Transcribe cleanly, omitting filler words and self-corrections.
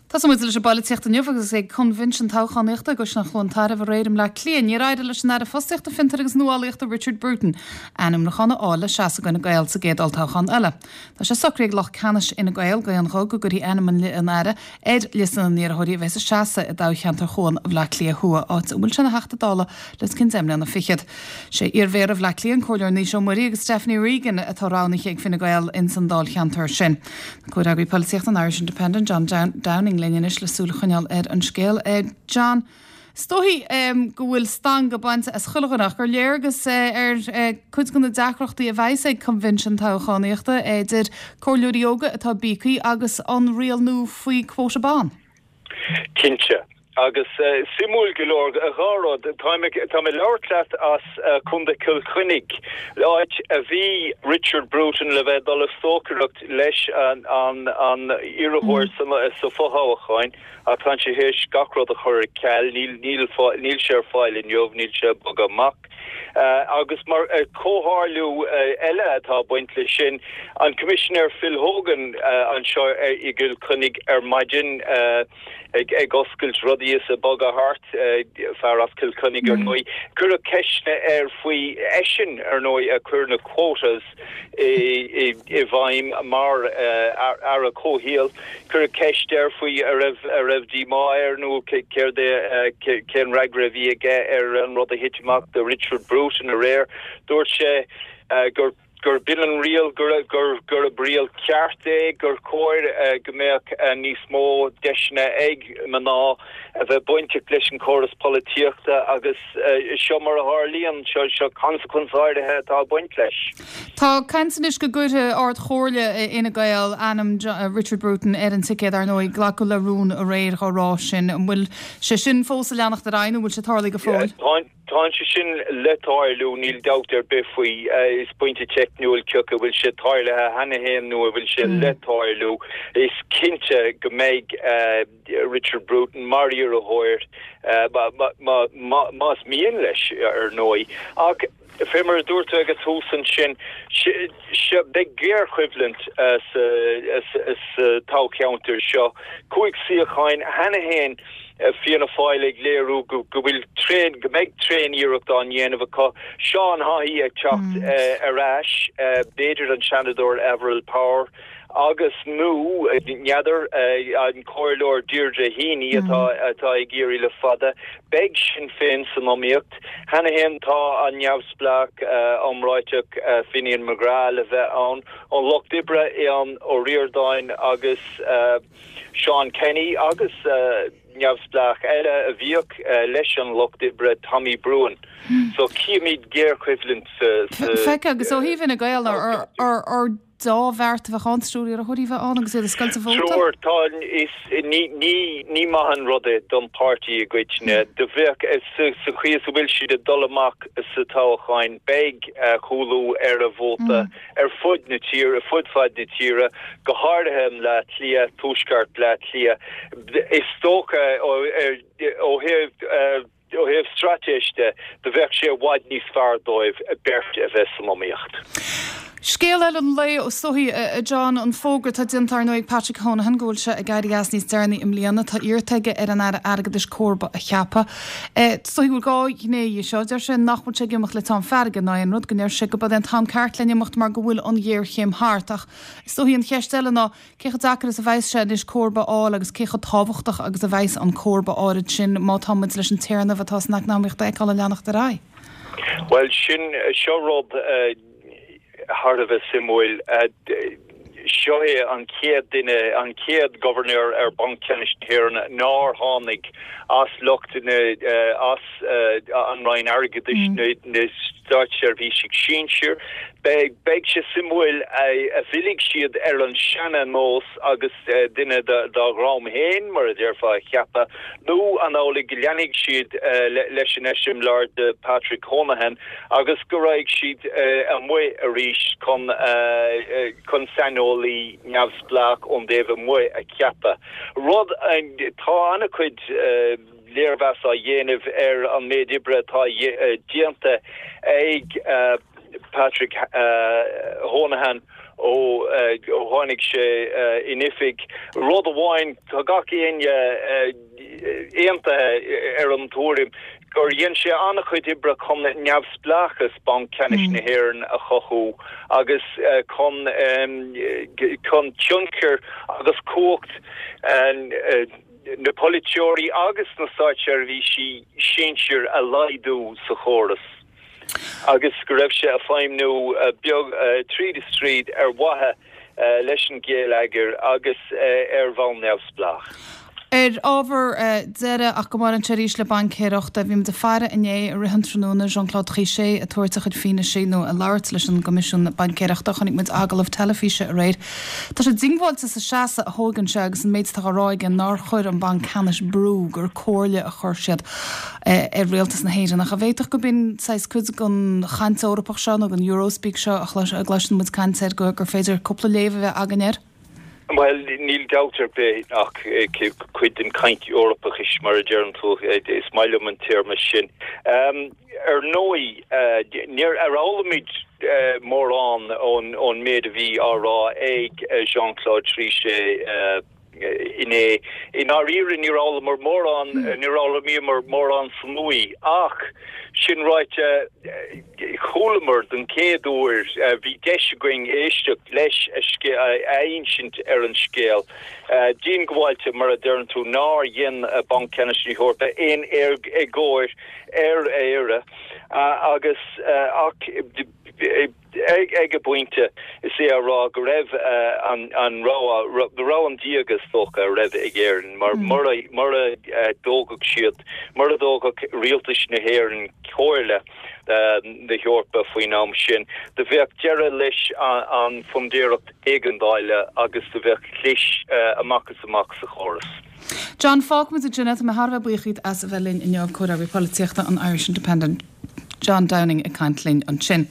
Tosóidh muid leis an bpolaitíocht inniu agus ag coinbhinsean toghchánaíochta i gCaisleán Chluain Tairbh aréir i mBleá Cliath. Níor éirigh leis an Aire Fostaíochta, Fiontair agus Nuálaíochta Richard Bruton ainmniúchán a fháil le seasamh do Fhine Gael sa gcéad olltoghchán eile. Tá sé socraithe ag lucht ceannais Fhine Gael d'aon ghuth go gcuirfí ainm an Aire ar liosta na n-iarrthóirí a bheas ag seasamh i dtoghcheantar Chuan Bhaile Átha Cliath Thuaidh, áit a bhfuil sé ina Theachta Dála le os cionn 10 mbliana fichead. Sé iar-mhéara Bhaile Átha Cliath, an Comhairleoir Naoise Ó Muirí agus Stephanie Regan atá roghnaithe ag Fine Gael ins an dáilcheantar sin. Tá Comhfhreagraí Polaitíochta an Irish Independent, John Downing linn anois le súil a choinneáil ar an scéal. John, is dóichí go bhfuil stangadh bainte as chuile dhuine ach gur léargas ar cuid de na deacrachtaí a bheas ag coinbhinsean toghchánaíochta idir comhairleoirí óga atá bíogtha agus an riail nua faoi quota ban. Cinnte. Agus suimiúil go leor, dhá rud, táim ag labhairt leat as Contae Chill Chainnigh, áit a bhí Richard Bruton le bheith ag dul ag stocaireacht leis an iarrthóir sa fothoghchán, ach tá sé théis gach rud a chur ar ceal, níl sé ar fáil inniu, níl sé ag bogadh amach. Agus mar chomhtharlú eile atá ag baint leis sin, an Coimisinéir Phil Hogan anseo i gCill Chainnigh ar maidin ag oscailt rudaí is ag bogadh thart, fear as Cill Chainnigh ar ndóigh. Cuireadh ceisteanna air faoi eisean ar ndóigh a chuir na quotas i bhfeidhm mar Aire Comhshaoil. Cuireadh ceist air faoi an raibh an raibh díomá air nó céard é cén fhreagra a bhí aige ar an rud a thit amach do Richard Bruton aréir. Dúirt sé gur gur b'in an riail, gur gurb riail ceart é, gur chóir go mbeadh níos mó deiseanna ag mná a bheith bainteach leis an chóras polaitíochta agus seo mar a tharlaíonn, seo seo consequence áirithe atá ag baint leis. Tá caint anois go gcuirfidh Ard-Chomhairle Fhine Gael ainm Richard Bruton ar an ticéad, ar ndóigh, glacadh le rún aréir dhá rá sin. An bhfuil sé sin fós ag leanacht ar aghaidh nó an bhfuil sé tarlaithe go fóill? Tá sé sin le tarlú, níl dabht ar bith faoi. Is pointe teicniúil cé acu an bhfuil sé tarlaithe cheana féin nó an bhfuil sé le tarlú. Is cinnte go mbeidh Richard Bruton mar iarrthóir, más mian leis, ar ndóigh. Ach fé mar a dúirt tú ag an tús ansin, beidh géarchoimhlint sa toghcheantar seo. 5 suíocháin cheana féin. Fianna Fáil ag léiriú go bhfuil tréan, go mbeidh tréan-iarracht á ndéanamh acu. Seán Haughey ag teacht ar ais, b'fhéidir an Seanadóir Averil Power agus, nó, n'fheadar, an Comhairleoir Deirdre Heaney atá atá ag iarraidh le fada. Beidh Sinn Féin san iomaíocht. Cheana féin tá an neamhspleách iomráiteach Finian McGrath le bheith ann. Ón Lucht Oibre, Aodhán Ó Ríordáin agus. Seán Kenny agus neamhspleách eile a bhíodh leis an Lucht Oibre, Tommy Broughan. So cífimid géarchoimhlint sa. Feic, agus ó thaobh Fhine Gael, ar dea-bheart a bheadh ann triúr iarrthóirí a bheith ann agus iad ag scoilteadh vóta? Triúr, tá, is, ní, ní, ní maith an rud é don pháirtí i gcoitinne. Do bheadh, sa chaoi is a bhfuil siad ag dul amach sa toghcháin, beidh cúlú ar a vóta. ar fud na tíre, ar fud fad na tíre, go háirithe i mBleá Cliath, tuaisceart Bleá Cliath. Is dócha ó thaobh ó thaobh straitéis de, do bheadh sé i bhfad níos fearr dóibh beirt a bheith san iomaíocht. Scéal eile an lae is dóichí, a John, an fógra atá déanta ar ndóigh ag Patrick Honohan go bhfuil sé ag éirí as níos deireanaí i mbliana. Tá iarrta aige ar an Aire Airgeadais comharba a cheapadh. Is dóichí go bhfuil dhá ghné dhe seo. Deir sé nach bhfuil sé ag imeacht le teann feirge ná aon rud, go ndeir sé go b'é an t-am ceart len imeacht mar go bhfuil an ghéarchéim thart. Ach is dóichí an cheist eile ná cé chomh deacair is a bheas sé anois comharba a fháil agus cé chomh tábhachtach agus a bheas an comharba áirid sin má tá muid leis an téarnamh atá san eacnamaíocht a fheiceáil ag leanacht ar aghaidh. Bhuel, sin, seo rud. thar a bheith suimiúil. Seo é an chéad duine, an chéad Ghobharnóir ar Bhanc Ceannais na hÉireann nár tháinig as lucht na, as an Roinn Airgeadais, na státseirbhísigh sinsir. Beidh, beidh sé suimiúil an bhfillfidh siad ar an seana-nós agus duine dá dhream féin, mar a déarfá, a cheapadh, nó an amhlaidh go leanfaidh siad leis an eiseamláir de Patrick Honohan. agus go raghaidh siad amuigh arís chun chun saineolaí neamhspleách ón dtaobh amuigh a cheapadh. Rud, tá an-chuid léirmheas á dhéanamh ar an méid oibre atá déanta ag Patrick Honohan. Ó tháinig sé in oifig. Rud amháin, tá gach éinne aontaithe ar an tuairim gur dhein sé an-chuid oibre chun neamhspleáchas Banc Ceannais na hÉireann a chothú agus chun chun tionchar agus cumhacht na polaiteoirí agus na státseirbhísí sinsir a laghdú sa chóras. agus go raibh sé ag feidhmniú beag tríd is tríd ar mhaithe leis an gheilleagar agus ar bhonn neamhspleách. Ar ábhar deiridh, ach go mbaineann sé arís le baincéireacht, bhí muid ag faire inné i rith an tráthnóna Jean-Claude Trichet ag tabhairt a chuid fianaise nó ag labhairt leis an gCoimisiún Baincéireachta. Chonaic muid agallamh teilifíse aréir. Tá sé diongbháilte sa seasamh a thógann sé agus an méid atá á rá aige nár chuir an Banc Ceannais brú, gur comhairle a chuir siad. ar rialtas na hÉireann. Ach an bhféadfadh gurb in saghas cuid den chaint Eorpach seo nó den Eurospeak seo a gcloiseann muid caint air gur féidir cúpla léamh a bheith againn air? Bhuel, níl dabht ar bith ach cuid den chaint Eorpachais, mar a deireann tú, is maith liom an téarma sin. Ar ndóigh, níor ar fhoghlaim muid mórán ón méid a bhí á rá ag Jean-Claude Trichet, Inné. I ndáiríre níor fhoghlaimeamar mórán, níor fhoghlaimíomar mórán san uaidh ach, sin ráite, chualamar den chéad uair, bhí deis againn éisteacht leis a insint ar an scéal. Diongbháilte, mar a deireann tú, nár dhein Banc Ceannais na hEorpa aon éagóir ar Éire agus ach, Ag an bpointe, is é a rá go raibh an rogha, rogha an díoga is dócha, a raibh ag Éirinn, mar mura dtógfadh siad, mura dtógfadh rialtais na hÉireann comhairle na hEorpa faoin am sin, do bheadh deireadh leis an bhfundúireacht éigeandála agus do bheadh clis amach is amach sa chóras. John, fágfaimid ansin é. Tá mé thar a bheith buíoch díot as a bheith linn inniu, Comhfhreagraí Polaitíochta an Irish Independent. John Downing ag caint linn ansin.